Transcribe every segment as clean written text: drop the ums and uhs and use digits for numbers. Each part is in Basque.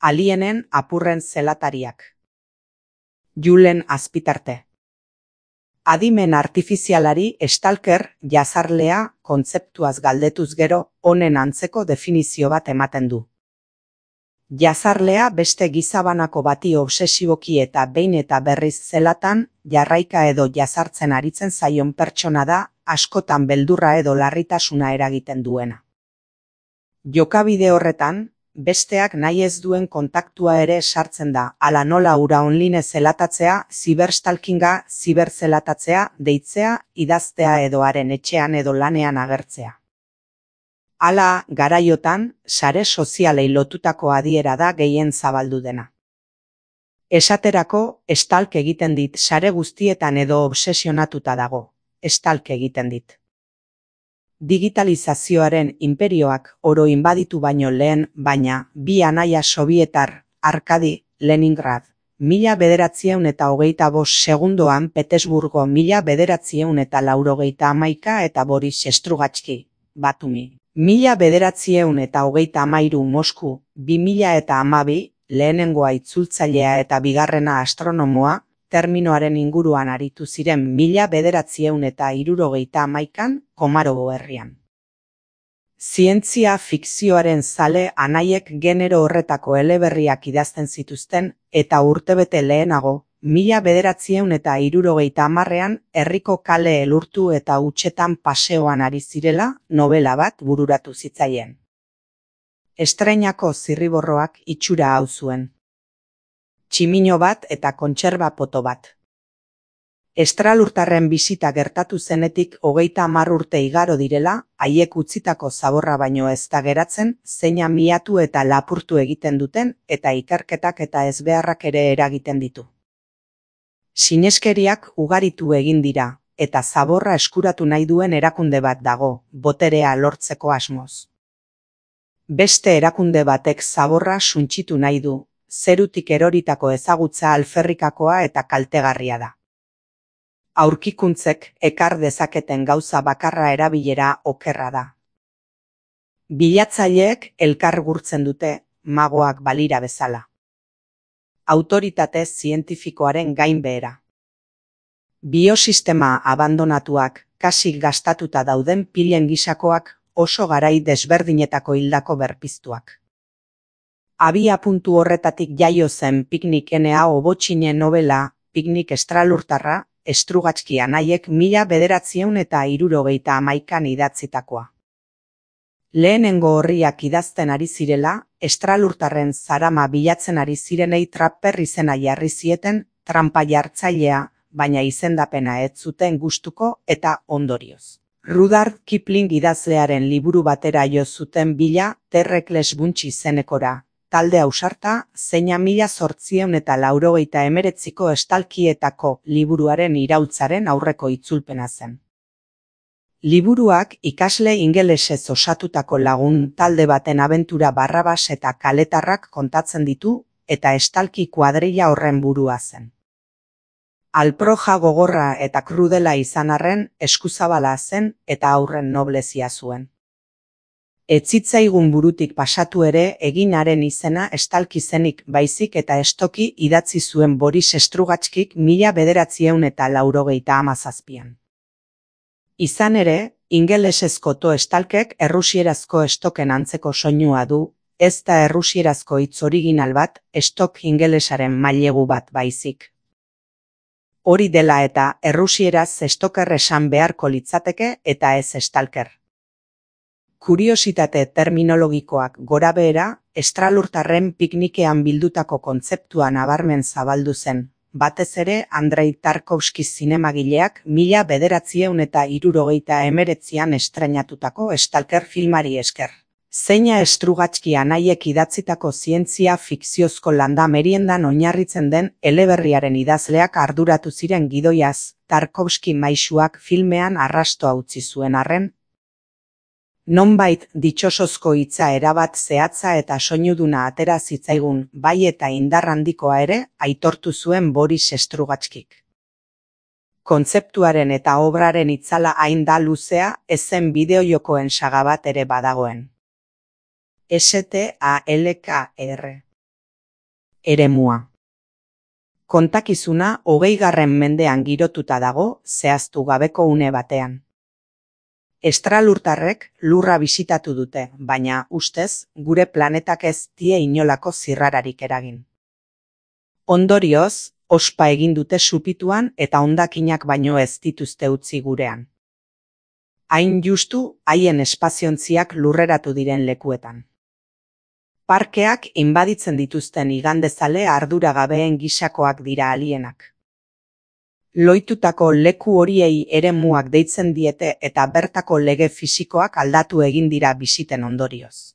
Alienen apurren zelatariak. Julen Azpitarte. Adimen artifizialari stalker jazarlea kontzeptuaz galdetuz gero honen antzeko definizio bat ematen du. Jazarlea beste gizabanako bati obsesiboki eta behin eta berriz zelatan jarraika edo jazartzen aritzen zaion pertsona da, askotan beldurra edo larritasuna eragiten duena. Jokabide horretan, besteak nahi ez duen kontaktua ere sartzen da, hala nola hura online zelatatzea, ziberstalkinga, ziberzelatatzea, deitzea, idaztea edo haren etxean edo lanean agertzea. Hala, garaiotan, sare sozialei lotutako adiera da gehien zabaldu dena. Esaterako, stalk egiten dit sare guztietan edo obsesionatuta dago, stalk egiten dit. Digitalizazioaren inperioak oro inbaditu baino lehen, baina bi anaia sobietar, Arkadi, Leningrad, 1925 segundoan Petersburgo 1991 eta Boris Strugatski, Batumi, 1933 Mosku, 2012, lehenengoa itzultzailea eta bigarrena astronomoa, terminoaren inguruan aritu ziren 1971 Komarovo herrian. Zientzia fikzioaren zale anaiek genero horretako eleberriak idazten zituzten eta urtebete lehenago, 1970 herriko kale elurtu eta hutsetan paseoan ari zirela novela bat bururatu zitzaien. Estreinako zirriborroak itxura hau zuen. Tximino bat eta kontserba poto bat. Estralurtarren bisita gertatu zenetik 30 urte igaro direla, haiek utzitako zaborra baino ez da geratzen, zeina miatu eta lapurtu egiten duten eta ikerketak eta ezbeharrak ere eragiten ditu. Sineskeriak ugaritu egin dira, eta zaborra eskuratu nahi duen erakunde bat dago, boterea lortzeko asmoz. Beste erakunde batek zaborra suntsitu nahi du, zerutik eroritako ezagutza alferrikakoa eta kaltegarria da. Aurkikuntzek ekar dezaketen gauza bakarra erabilera okerra da. Bilatzaileek elkar gurtzen dute, magoak balira bezala. Autoritate zientifikoaren gainbehera. Biosistema abandonatuak, kasik gastatuta dauden pilen gisakoak, oso garai desberdinetako hildako berpiztuak. Abia puntu horretatik jaio zen Piknik N.A. Obotxine novela, Piknik estralurtarra, Strugatski anaiek 1971 idatzitakoa. Lehenengo horriak idazten ari zirela, estralurtarren zarama bilatzen ari zirenei Trapper izena jarri zieten, tranpa jartzailea, baina izendapena ez zuten gustuko eta ondorioz. Rudyard Kipling idazlearen liburu batera jo zuten bila Terrekles Bunch izenekora, talde ausarta, zeina 1889ko estalkietako liburuaren iraultzaren aurreko itzulpena zen. Liburuak ikasle ingelesez osatutako lagun talde baten abentura Barrabas eta kaletarrak kontatzen ditu, eta estalki kuadrilla horren burua zen. Alproja gogorra eta krudela izan arren, eskuzabala zen eta aurren noblezia zuen. Etzitzaigun burutik pasatu ere eginaren izena estalki zenik baizik eta estoki idatzi zuen Boris Strugatskik 1997an. Izan ere, ingelesezko to estalkek errusierazko estoken antzeko soinua du, ez da errusierazko hitz original bat, estok ingelesaren mailegu bat baizik. Hori dela eta errusieraz estoker esan beharko litzateke eta ez estalker. Kuriositate terminologikoak gorabehera, estralurtarren piknikean bildutako kontzeptua nabarmen zabaldu zen, batez ere Andrei Tarkovski zinemagileak 1979an estreinatutako Stalker filmari esker. Zeina Strugatski anaiek idatzitako zientzia fikziozko landa meriendan oinarritzen den eleberriaren idazleak arduratu ziren gidoiaz, Tarkovski maisuak filmean arrastoa utzi zuen arren, nonbait ditxosozko hitza erabat zehatza eta soinuduna atera zitzaigun, bai eta indar handikoa ere, aitortu zuen Boris Strugatskik. Kontzeptuaren eta obraren itzala hain da luzea, ezen bideojokoen saga bat ere badagoen. STALKR Eremua. Kontakizuna 20. mendean girotuta dago zehaztu gabeko une batean. Estralurtarrek lurra bisitatu dute, baina ustez gure planetak ez die inolako zirrararik eragin. Ondorioz, ospa egin dute supituan eta hondakinak baino ez dituzte utzi gurean. Hain justu haien espaziontziak lurreratu diren lekuetan. Parkeak inbaditzen dituzten igandezale arduragabeen gisakoak dira alienak. Loitutako leku horiei eremuak deitzen diete eta bertako lege fisikoak aldatu egin dira bisiten ondorioz.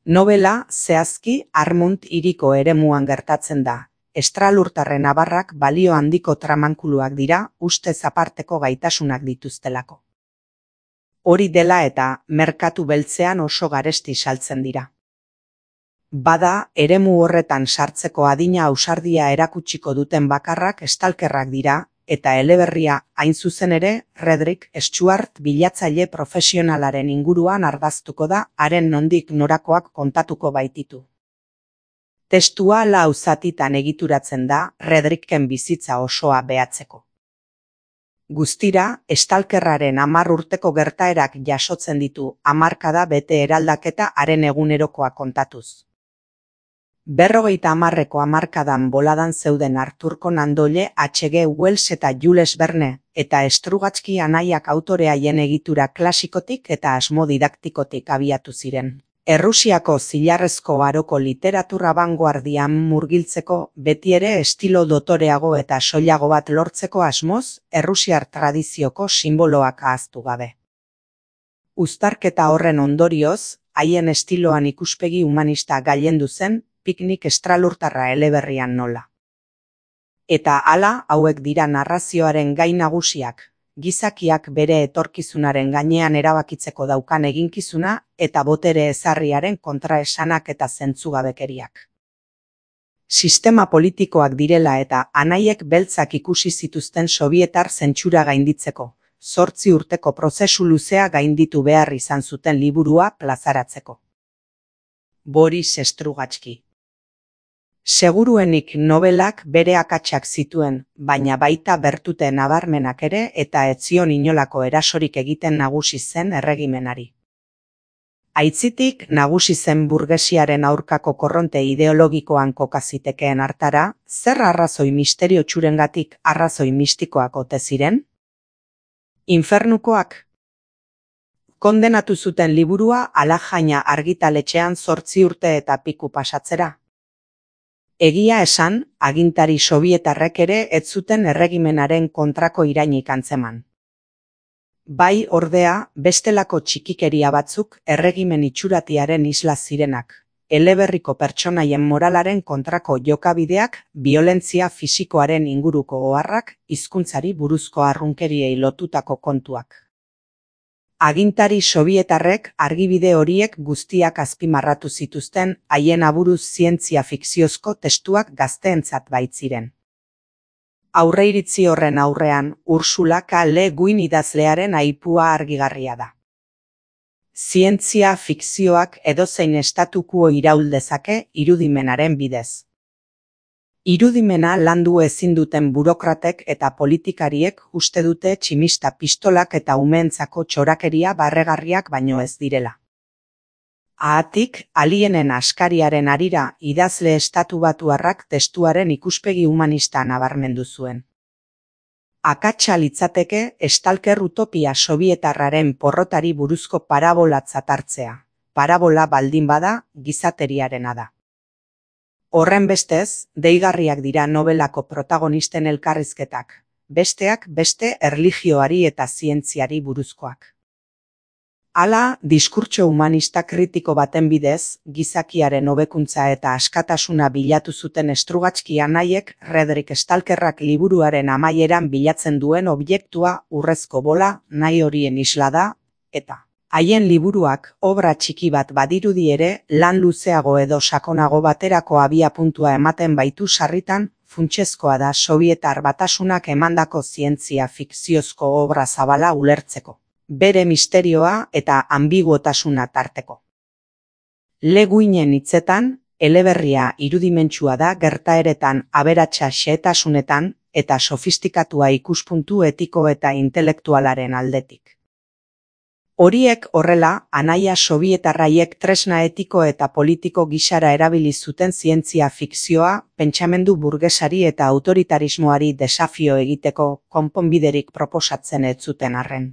Nobela zehazki Armunt hiriko eremuan gertatzen da. Estralurtarren abarrak balio handiko tramankuluak dira ustez aparteko gaitasunak dituztelako. Hori dela eta merkatu beltzean oso garesti saltzen dira. Bada, eremu horretan sartzeko adina ausardia erakutsiko duten bakarrak estalkerrak dira, eta eleberria hain zuzen ere, Redrick Stuart bilatzaile profesionalaren inguruan ardaztuko da, haren nondik norakoak kontatuko baititu. Testua lau zatitan egituratzen da, Redricken bizitza osoa behatzeko. Guztira, estalkerraren 10 urteko gertaerak jasotzen ditu hamarkada bete eraldaketa haren egunerokoa kontatuz. 50 hamarkadan boladan zeuden Arthur Conan Doyle, H.G. Wells eta Jules Verne, eta Strugatsky anaiak autore haien egitura klasikotik eta asmo didaktikotik abiatu ziren. Errusiako zilarrezko aroko literatura abangoardian murgiltzeko, beti ere estilo dotoreago eta soilago bat lortzeko asmoz, errusiar tradizioko simboloak ahaztu gabe. Uztarketa horren ondorioz, haien estiloan ikuspegi humanista gailendu zen, Piknik estralurtarra eleberrian nola. Eta hala, hauek dira narrazioaren gai nagusiak, gizakiak bere etorkizunaren gainean erabakitzeko daukan eginkizuna eta botere ezarriaren kontraesanak eta zentzugabekeriak. Sistema politikoak direla eta anaiek beltzak ikusi zituzten sobietar zentsura gainditzeko, 8 urteko prozesu luzea gainditu behar izan zuten liburua plazaratzeko. Boris Strugatsky. Seguruenik nobelak bere akatsak zituen, baina baita bertute nabarmenak ere eta ez zion inolako erasorik egiten nagusi zen erregimenari. Aitzitik nagusi zen burgesiaren aurkako korronte ideologikoan kokazitekeen hartara, zer arrazoi misterio txurengatik arrazoi mistikoak ote ziren? Infernukoak. Kondenatu zuten liburua Alajaina argitaletxean 8 urte eta piku pasatzera. Egia esan, agintari sobietarrek ere ez zuten erregimenaren kontrako irainik antzeman. Bai ordea, bestelako txikikeria batzuk erregimen itxuratiaren isla zirenak, eleberriko pertsonaien moralaren kontrako jokabideak, biolentzia fisikoaren inguruko oharrak, hizkuntzari buruzko arrunkeriei lotutako kontuak. Agintari sobietarrek argibide horiek guztiak azpimarratu zituzten haien aburuz zientzia fikziozko testuak gazteentzat baitziren. Aurreiritzi horren aurrean, Ursula K. Le Guin idazlearen aipua argigarria da. Zientzia fikzioak edozein estatukuo iraul dezake irudimenaren bidez. Irudimena landu ezin duten burokratek eta politikariek uste dute tximista pistolak eta umeentzako txorakeria barregarriak baino ez direla. Haatik, alienen askariaren harira idazle estatubatuarrak testuaren ikuspegi humanista nabarmendu zuen. Akatsa litzateke estalker utopia sobietarraren porrotari buruzko parabolatzat hartzea. Parabola baldin bada, gizateriarena da. Horren bestez, deigarriak dira nobelako protagonisten elkarrizketak, besteak beste erlijioari eta zientziari buruzkoak. Hala, diskurtso humanista kritiko baten bidez, gizakiaren hobekuntza eta askatasuna bilatu zuten Strugatsky anaiek Redrick Stalkerrak liburuaren amaieran bilatzen duen objektua urrezko bola nahi horien isla da, eta haien liburuak obra txiki bat badirudi ere lan luzeago edo sakonago baterako abiapuntua ematen baitu sarritan, funtsezkoa da Sobietar Batasunak emandako zientzia fikziozko obra zabala ulertzeko, bere misterioa eta ambiguotasuna tarteko. Le Guinen hitzetan, eleberria irudimentsua da gertaeretan aberatsa xehetasunetan eta sofistikatua ikuspuntu etiko eta intelektualaren aldetik. Horiek horrela, anaia sobietarraiek tresna etiko eta politiko gisara erabili zuten zientzia fikzioa, pentsamendu burgesari eta autoritarismoari desafio egiteko konponbiderik proposatzen ez zuten arren.